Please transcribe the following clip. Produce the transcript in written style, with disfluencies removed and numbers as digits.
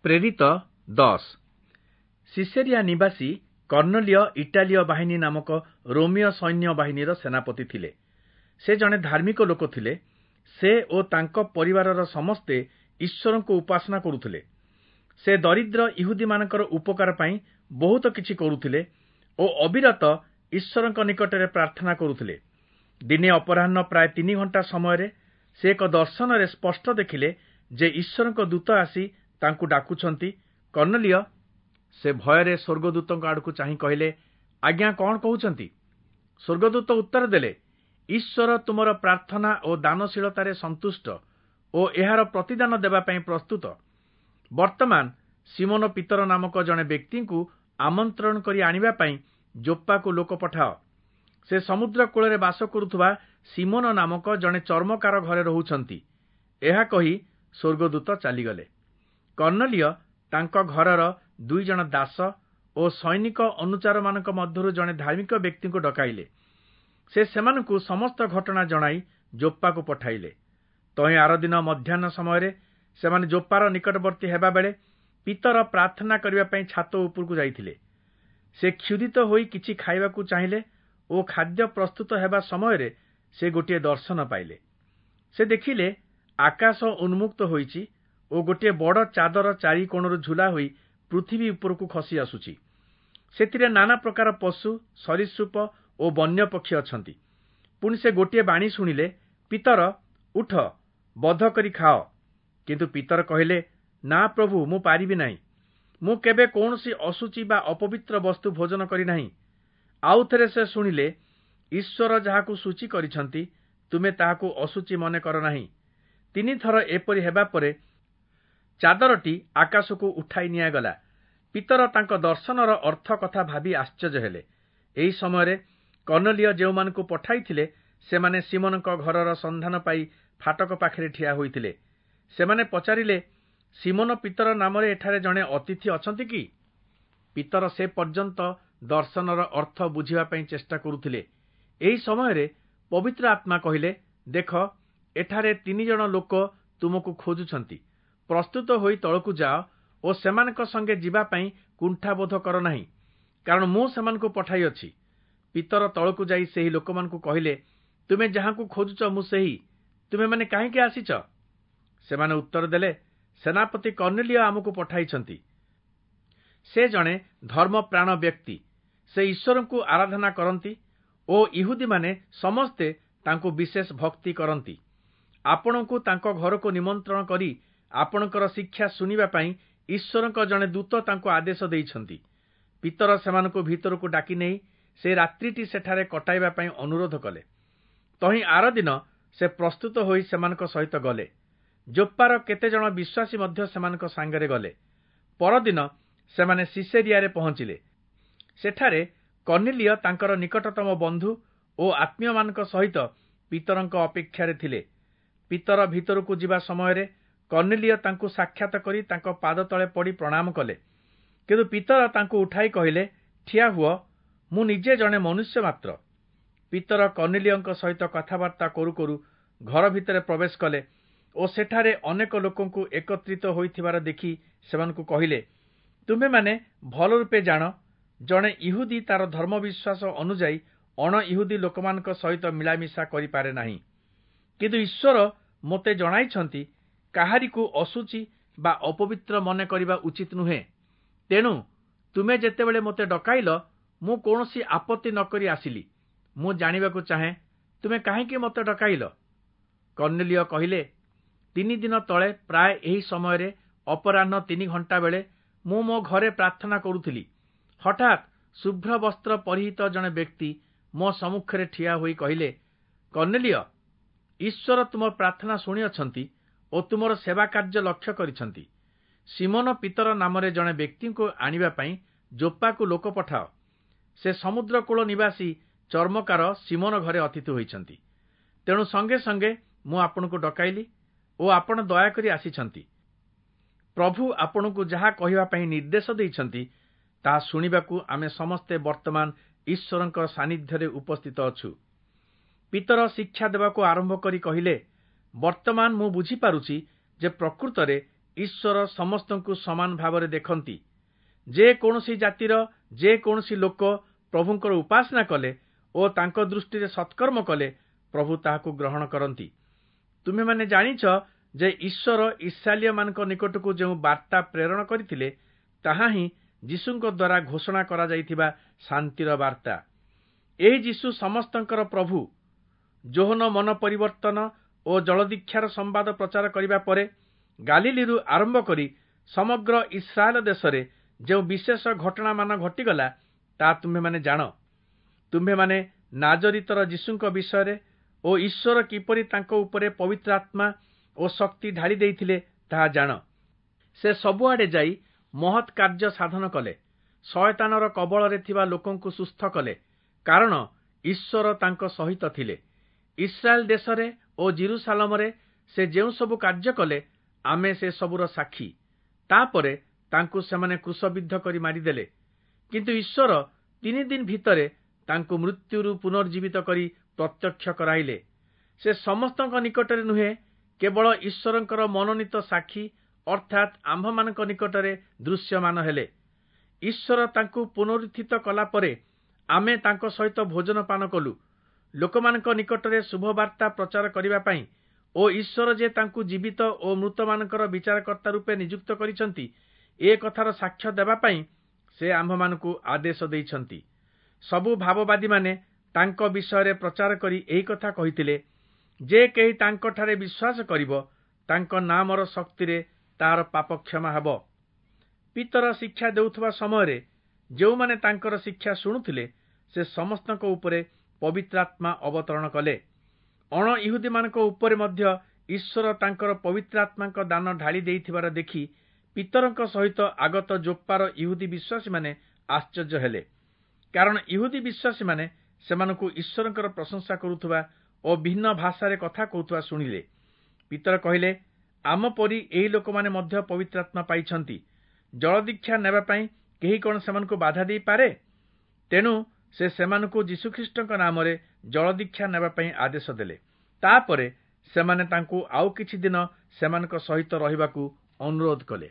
ପ୍ରେରିତ 10। ସିସେରିଆ ନିବାସୀ କର୍ଣ୍ଣଲିୟ ଇଟାଲୀୟ ବାହିନୀ ନାମକ ରୋମୀୟ ସୈନ୍ୟ ବାହିନୀର ସେନାପତି ଥିଲେ। ସେ ଜଣେ ଧାର୍ମିକ ଲୋକ ଥିଲେ। ସେ ଓ ତାଙ୍କ ପରିବାରର ସମସ୍ତେ ଈଶ୍ୱରଙ୍କୁ ଉପାସନା କରୁଥିଲେ। ସେ ଦରିଦ୍ର ଇହୁଦୀମାନଙ୍କର ଉପକାର ପାଇଁ ବହୁତ କିଛି କରୁଥିଲେ ଓ ଅବିରତ ଈଶ୍ୱରଙ୍କ ନିକଟରେ ପ୍ରାର୍ଥନା କରୁଥିଲେ। ଦିନେ ଅପରାହ୍ନ ପ୍ରାୟ 3 ଘଣ୍ଟା ସମୟରେ ସେ ଏକ ଦର୍ଶନରେ ସ୍ପଷ୍ଟ ଦେଖିଲେ ଯେ ଈଶ୍ୱରଙ୍କ ଦୂତ ଆସି ତାଙ୍କୁ ଡାକୁଛନ୍ତି, କର୍ଣ୍ଣଲିୟ। ସେ ଭୟରେ ସ୍ୱର୍ଗଦୂତଙ୍କ ଆଡ଼କୁ ଚାହିଁ କହିଲେ, ଆଜ୍ଞା, କଣ କହୁଛନ୍ତି? ସ୍ୱର୍ଗଦୂତ ଉତ୍ତର ଦେଲେ, ଈଶ୍ୱର ତୁମର ପ୍ରାର୍ଥନା ଓ ଦାନଶୀଳତାରେ ସନ୍ତୁଷ୍ଟ ଓ ଏହାର ପ୍ରତିଦାନ ଦେବା ପାଇଁ ପ୍ରସ୍ତୁତ। ବର୍ତ୍ତମାନ ସିମୋନ ପିତର ନାମକ ଜଣେ ବ୍ୟକ୍ତିଙ୍କୁ ଆମନ୍ତ୍ରଣ କରି ଆଣିବା ପାଇଁ ଯୋପ୍ପାକୁ ଲୋକ ପଠାଅ। ସେ ସମୁଦ୍ର କୂଳରେ ବାସ କରୁଥିବା ସିମୋନ ନାମକ ଜଣେ ଚର୍ମକାର ଘରେ ରହୁଛନ୍ତି। ଏହା କହି ସ୍ୱର୍ଗଦୂତ ଚାଲିଗଲେ। କର୍ଣ୍ଣଲିୟ ତାଙ୍କ ଘରର 2 ଜଣ ଦାସ ଓ ସୈନିକ ଅନୁଚାରମାନଙ୍କ ମଧ୍ୟରୁ ଜଣେ ଧାର୍ମିକ ବ୍ୟକ୍ତିଙ୍କୁ ଡକାଇଲେ। ସେ ସେମାନଙ୍କୁ ସମସ୍ତ ଘଟଣା ଜଣାଇ ଯୋପ୍ପାକୁ ପଠାଇଲେ। ତହିଁ ଆରଦିନ ମଧ୍ୟାହ୍ନ ସମୟରେ ସେମାନେ ଯୋପ୍ପାର ନିକଟବର୍ତ୍ତୀ ହେବାବେଳେ ପିତର ପ୍ରାର୍ଥନା କରିବା ପାଇଁ ଛାତ ଉପରକୁ ଯାଇଥିଲେ। ସେ କ୍ଷୁଧିତ ହୋଇ କିଛି ଖାଇବାକୁ ଚାହିଁଲେ ଓ ଖାଦ୍ୟ ପ୍ରସ୍ତୁତ ହେବା ସମୟରେ ସେ ଗୋଟିଏ ଦର୍ଶନ ପାଇଲେ। ସେ ଦେଖିଲେ ଆକାଶ ଉନ୍ମୁକ୍ତ ହୋଇଛି ଓ ଗୋଟିଏ ବଡ଼ ଚାଦର 4 କୋଣରୁ ଝୁଲା ହୋଇ ପୃଥିବୀ ଉପରକୁ ଖସି ଆସୁଛି। ସେଥିରେ ନାନା ପ୍ରକାର ପଶୁ, ସରୀସୃପ ଓ ବନ୍ୟ ପକ୍ଷୀ ଅଛନ୍ତି। ପୁଣି ସେ ଗୋଟିଏ ବାଣୀ ଶୁଣିଲେ, ପିତର, ଉଠ, ବଧ କରି ଖାଅ। କିନ୍ତୁ ପିତର କହିଲେ, ନା ପ୍ରଭୁ, ମୁଁ ପାରିବି ନାହିଁ। ମୁଁ କେବେ କୌଣସି ଅଶୁଚି ବା ଅପବିତ୍ର ବସ୍ତୁ ଭୋଜନ କରିନାହିଁ। ଆଉ ଥରେ ସେ ଶୁଣିଲେ, ଈଶ୍ୱର ଯାହାକୁ ସୂଚି କରିଛନ୍ତି, ତୁମେ ତାହାକୁ ଅଶୁଚି ମନେ କର ନାହିଁ। 3 ଥର ଏପରି ହେବା ପରେ ଚାଦରଟି ଆକାଶକୁ ଉଠାଇ ନିଆଗଲା। ପିତର ତାଙ୍କ ଦର୍ଶନର ଅର୍ଥ କଥା ଭାବି ଆଶ୍ଚର୍ଯ୍ୟ ହେଲେ। ଏହି ସମୟରେ କର୍ଣ୍ଣଲିୟ ଯେଉଁମାନଙ୍କୁ ପଠାଇଥିଲେ, ସେମାନେ ସିମୋନଙ୍କ ଘରର ସନ୍ଧାନ ପାଇ ଫାଟକ ପାଖରେ ଠିଆ ହୋଇଥିଲେ। ସେମାନେ ପଚାରିଲେ, ସିମୋନ ପିତର ନାମରେ ଏଠାରେ ଜଣେ ଅତିଥି ଅଛନ୍ତି କି? ପିତର ସେ ପର୍ଯ୍ୟନ୍ତ ଦର୍ଶନର ଅର୍ଥ ବୁଝିବା ପାଇଁ ଚେଷ୍ଟା କରୁଥିଲେ। ଏହି ସମୟରେ ପବିତ୍ର ଆତ୍ମା କହିଲେ, ଦେଖ, ଏଠାରେ 3 ଜଣ ଲୋକ ତୁମକୁ ଖୋଜୁଛନ୍ତି। ପ୍ରସ୍ତୁତ ହୋଇ ତଳକୁ ଯାଅ ଓ ସେମାନଙ୍କ ସଙ୍ଗେ ଯିବା ପାଇଁ କୁଣ୍ଠାବୋଧ କର ନାହିଁ, କାରଣ ମୁଁ ସେମାନଙ୍କୁ ପଠାଇଅଛି। ପିତର ତଳକୁ ଯାଇ ସେହି ଲୋକମାନଙ୍କୁ କହିଲେ, ତୁମେ ଯାହାଙ୍କୁ ଖୋଜୁଛ ମୁଁ ସେହି। ତୁମେମାନେ କାହିଁକି ଆସିଛ? ସେମାନେ ଉତ୍ତର ଦେଲେ, ସେନାପତି କର୍ଣ୍ଣଲିୟ ଆମକୁ ପଠାଇଛନ୍ତି। ସେ ଜଣେ ଧର୍ମପ୍ରାଣ ବ୍ୟକ୍ତି। ସେ ଈଶ୍ୱରଙ୍କୁ ଆରାଧନା କରନ୍ତି ଓ ଇହୁଦୀମାନେ ସମସ୍ତେ ତାଙ୍କୁ ବିଶେଷ ଭକ୍ତି କରନ୍ତି। ଆପଣଙ୍କୁ ତାଙ୍କ ଘରକୁ ନିମନ୍ତ୍ରଣ କରି ଆପଣଙ୍କର ଶିକ୍ଷା ଶୁଣିବା ପାଇଁ ଈଶ୍ୱରଙ୍କ ଜଣେ ଦୂତ ତାଙ୍କୁ ଆଦେଶ ଦେଇଛନ୍ତି। ପିତର ସେମାନଙ୍କୁ ଭିତରକୁ ଡାକି ନେଇ ସେ ରାତ୍ରିଟି ସେଠାରେ କଟାଇବା ପାଇଁ ଅନୁରୋଧ କଲେ। ତହିଁ ଆରଦିନ ସେ ପ୍ରସ୍ତୁତ ହୋଇ ସେମାନଙ୍କ ସହିତ ଗଲେ। ଯୋପ୍ପାର କେତେଜଣ ବିଶ୍ୱାସୀ ମଧ୍ୟ ସେମାନଙ୍କ ସାଙ୍ଗରେ ଗଲେ। ପରଦିନ ସେମାନେ ସିସେରିଆରେ ପହଞ୍ଚିଲେ। ସେଠାରେ କର୍ଣ୍ଣଲିୟ ତାଙ୍କର ନିକଟତମ ବନ୍ଧୁ ଓ ଆତ୍ମୀୟମାନଙ୍କ ସହିତ ପିତରଙ୍କ ଅପେକ୍ଷାରେ ଥିଲେ। ପିତର ଭିତରକୁ ଯିବା ସମୟରେ କର୍ଣ୍ଣଲିୟ ତାଙ୍କୁ ସାକ୍ଷାତ କରି ତାଙ୍କ ପାଦ ତଳେ ପଡ଼ି ପ୍ରଣାମ କଲେ। କିନ୍ତୁ ପିତର ତାଙ୍କୁ ଉଠାଇ କହିଲେ, ଠିଆ ହୁଅ, ମୁଁ ନିଜେ ଜଣେ ମନୁଷ୍ୟ ମାତ୍ର। ପିତର କର୍ଣ୍ଣଲିୟଙ୍କ ସହିତ କଥାବାର୍ତ୍ତା କରୁ କରୁ ଘର ଭିତରେ ପ୍ରବେଶ କଲେ ଓ ସେଠାରେ ଅନେକ ଲୋକଙ୍କୁ ଏକତ୍ରିତ ହୋଇଥିବାର ଦେଖି ସେମାନଙ୍କୁ କହିଲେ, ତୁମେମାନେ ଭଲ ରୂପେ ଜାଣ, ଜଣେ ଇହୁଦୀ ତାର ଧର୍ମବିଶ୍ୱାସ ଅନୁଯାୟୀ ଅଣ ଇହୁଦୀ ଲୋକମାନଙ୍କ ସହିତ ମିଳାମିଶା କରିପାରେ ନାହିଁ। କିନ୍ତୁ ଈଶ୍ୱର ମୋତେ ଜଣାଇଛନ୍ତି, କାହାରିକୁ ଅଶୁଚି ବା ଅପବିତ୍ର ମନେ କରିବା ଉଚିତ ନୁହେଁ। ତେଣୁ ତୁମେ ଯେତେବେଳେ ମୋତେ ଡକାଇଲ, ମୁଁ କୌଣସି ଆପତ୍ତି ନ କରି ଆସିଲି। ମୁଁ ଜାଣିବାକୁ ଚାହେଁ, ତୁମେ କାହିଁକି ମୋତେ ଡକାଇଲ? କର୍ଣ୍ଣଲିୟ କହିଲେ, 3 ଦିନ ତଳେ ପ୍ରାୟ ଏହି ସମୟରେ ଅପରାହ୍ନ 3 ଘଣ୍ଟା ବେଳେ ମୁଁ ମୋ ଘରେ ପ୍ରାର୍ଥନା କରୁଥିଲି। ହଠାତ୍ ଶୁଭ୍ର ବସ୍ତ୍ର ପରିହିତ ଜଣେ ବ୍ୟକ୍ତି ମୋ ସମ୍ମୁଖରେ ଠିଆ ହୋଇ କହିଲେ, କର୍ଣ୍ଣଲିୟ, ଈଶ୍ୱର ତୁମ ପ୍ରାର୍ଥନା ଶୁଣିଅଛନ୍ତି ଓ ତୁମର ସେବା କାର୍ଯ୍ୟ ଲକ୍ଷ୍ୟ କରିଛନ୍ତି। ସିମୋନ ପିତର ନାମରେ ଜଣେ ବ୍ୟକ୍ତିଙ୍କୁ ଆଣିବା ପାଇଁ ଯୋପ୍ପାକୁ ଲୋକ ପଠାଅ। ସେ ସମୁଦ୍ରକୂଳ ନିବାସୀ ଚର୍ମକାର ସିମୋନ ଘରେ ଅତିଥି ହୋଇଛନ୍ତି। ତେଣୁ ସଙ୍ଗେ ସଙ୍ଗେ ମୁଁ ଆପଣଙ୍କୁ ଡକାଇଲି ଓ ଆପଣ ଦୟାକରି ଆସିଛନ୍ତି। ପ୍ରଭୁ ଆପଣଙ୍କୁ ଯାହା କହିବା ପାଇଁ ନିର୍ଦ୍ଦେଶ ଦେଇଛନ୍ତି, ତାହା ଶୁଣିବାକୁ ଆମେ ସମସ୍ତେ ବର୍ତ୍ତମାନ ଈଶ୍ୱରଙ୍କ ସାନ୍ନିଧ୍ୟରେ ଉପସ୍ଥିତ ଅଛୁ। ପିତର ଶିକ୍ଷା ଦେବାକୁ ଆରମ୍ଭ କରି କହିଲେ, ବର୍ତ୍ତମାନ ମୁଁ ବୁଝିପାରୁଛି ଯେ ପ୍ରକୃତରେ ଈଶ୍ୱର ସମସ୍ତଙ୍କୁ ସମାନ ଭାବରେ ଦେଖନ୍ତି। ଯେ କୌଣସି ଜାତିର ଯେ କୌଣସି ଲୋକ ପ୍ରଭୁଙ୍କର ଉପାସନା କଲେ ଓ ତାଙ୍କ ଦୃଷ୍ଟିରେ ସତ୍କର୍ମ କଲେ ପ୍ରଭୁ ତାହାକୁ ଗ୍ରହଣ କରନ୍ତି। ତୁମେମାନେ ଜାଣିଛ ଯେ ଈଶ୍ୱର ଇସ୍ରାଏଲୀୟମାନଙ୍କ ନିକଟକୁ ଯେଉଁ ବାର୍ତ୍ତା ପ୍ରେରଣ କରିଥିଲେ, ତାହା ହିଁ ଯୀଶୁଙ୍କ ଦ୍ୱାରା ଘୋଷଣା କରାଯାଇଥିବା ଶାନ୍ତିର ବାର୍ତ୍ତା। ଏହି ଯୀଶୁ ସମସ୍ତଙ୍କର ପ୍ରଭୁ। ଯୋହନ ମନ ପରିବର୍ତ୍ତନ ଓ ଜଳଦୀକ୍ଷାର ସମ୍ବାଦ ପ୍ରଚାର କରିବା ପରେ ଗାଲିଲିରୁ ଆରମ୍ଭ କରି ସମଗ୍ର ଇସ୍ରାଏଲ ଦେଶରେ ଯେଉଁ ବିଶେଷ ଘଟଣାମାନ ଘଟିଗଲା, ତାହା ତୁମ୍ଭେମାନେ ଜାଣ। ତୁମ୍ଭେମାନେ ନାଜରିତର ଯୀଶୁଙ୍କ ବିଷୟରେ ଓ ଈଶ୍ୱର କିପରି ତାଙ୍କ ଉପରେ ପବିତ୍ର ଆତ୍ମା ଓ ଶକ୍ତି ଢାଳି ଦେଇଥିଲେ, ତାହା ଜାଣ। ସେ ସବୁଆଡ଼େ ଯାଇ ମହତ୍ କାର୍ଯ୍ୟ ସାଧନ କଲେ, ଶୟତାନର କବଳରେ ଥିବା ଲୋକଙ୍କୁ ସୁସ୍ଥ କଲେ, କାରଣ ଈଶ୍ୱର ତାଙ୍କ ସହିତ ଥିଲେ। ଇସ୍ରାଏଲ ଦେଶରେ ଓ ଜିରୁସାଲମରେ ସେ ଯେଉଁ ସବୁ କାର୍ଯ୍ୟ କଲେ, ଆମେ ସେ ସବୁର ସାକ୍ଷୀ। ତାପରେ ତାଙ୍କୁ ସେମାନେ କ୍ରୁଶବିଦ୍ଧ କରି ମାରିଦେଲେ। କିନ୍ତୁ ଈଶ୍ୱର 3 ଦିନ ଭିତରେ ତାଙ୍କୁ ମୃତ୍ୟୁରୁ ପୁନର୍ଜୀବିତ କରି ପ୍ରତ୍ୟକ୍ଷ କରାଇଲେ। ସେ ସମସ୍ତଙ୍କ ନିକଟରେ ନୁହେଁ, କେବଳ ଈଶ୍ୱରଙ୍କର ମନୋନୀତ ସାକ୍ଷୀ ଅର୍ଥାତ୍ ଆମ୍ଭମାନଙ୍କ ନିକଟରେ ଦୃଶ୍ୟମାନ ହେଲେ। ଈଶ୍ୱର ତାଙ୍କୁ ପୁନରୁତ୍ଥିତ କଲା ପରେ ଆମେ ତାଙ୍କ ସହିତ ଭୋଜନ ପାନ କଲୁ। ଲୋକମାନଙ୍କ ନିକଟରେ ଶୁଭବାର୍ତ୍ତା ପ୍ରଚାର କରିବା ପାଇଁ ଓ ଈଶ୍ୱର ଯେ ତାଙ୍କୁ ଜୀବିତ ଓ ମୃତମାନଙ୍କର ବିଚାରକର୍ତ୍ତା ରୂପେ ନିଯୁକ୍ତ କରିଛନ୍ତି, ଏ କଥାର ସାକ୍ଷ୍ୟ ଦେବା ପାଇଁ ସେ ଆମ୍ଭମାନଙ୍କୁ ଆଦେଶ ଦେଇଛନ୍ତି। ସବୁ ଭାବବାଦୀମାନେ ତାଙ୍କ ବିଷୟରେ ପ୍ରଚାର କରି ଏହି କଥା କହିଥିଲେ ଯେ କେହି ତାଙ୍କଠାରେ ବିଶ୍ୱାସ କରିବ, ତାଙ୍କ ନାମର ଶକ୍ତିରେ ତାହାର ପାପ କ୍ଷମା ହେବ। ପିତର ଶିକ୍ଷା ଦେଉଥିବା ସମୟରେ ଯେଉଁମାନେ ତାଙ୍କର ଶିକ୍ଷା ଶୁଣୁଥିଲେ, ସେ ସମସ୍ତଙ୍କ ଉପରେ ପବିତ୍ରାତ୍ମା ଅବତରଣ କଲେ। ଅଣ ଇହୁଦୀମାନଙ୍କ ଉପରେ ମଧ୍ୟ ଈଶ୍ୱର ତାଙ୍କର ପବିତ୍ରାତ୍ମାଙ୍କ ଦାନ ଢାଳି ଦେଇଥିବାର ଦେଖି ପିତରଙ୍କ ସହିତ ଆଗତ ଯୋପ୍ପାର ଇହୁଦୀ ବିଶ୍ୱାସୀମାନେ ଆଶ୍ଚର୍ଯ୍ୟ ହେଲେ, କାରଣ ଇହୁଦୀ ବିଶ୍ୱାସୀମାନେ ସେମାନଙ୍କୁ ଈଶ୍ୱରଙ୍କର ପ୍ରଶଂସା କରୁଥିବା ଓ ଭିନ୍ନ ଭାଷାରେ କଥା କହୁଥିବା ଶୁଣିଲେ। ପିତର କହିଲେ, ଆମ ପରି ଏହି ଲୋକମାନେ ମଧ୍ୟ ପବିତ୍ରାତ୍ମା ପାଇଛନ୍ତି। ଜଳଦୀକ୍ଷା ନେବା ପାଇଁ କେହି କଣ ସେମାନଙ୍କୁ ବାଧା ଦେଇପାରେ? ତେଣୁ ସେ ସେମାନଙ୍କୁ ଯୀଶୁଖ୍ରୀଷ୍ଟଙ୍କ ନାମରେ ଜଳଦୀକ୍ଷା ନେବା ପାଇଁ ଆଦେଶ ଦେଲେ। ତାପରେ ସେମାନେ ତାଙ୍କୁ ଆଉ କିଛି ଦିନ ସେମାନଙ୍କ ସହିତ ରହିବାକୁ ଅନୁରୋଧ କଲେ।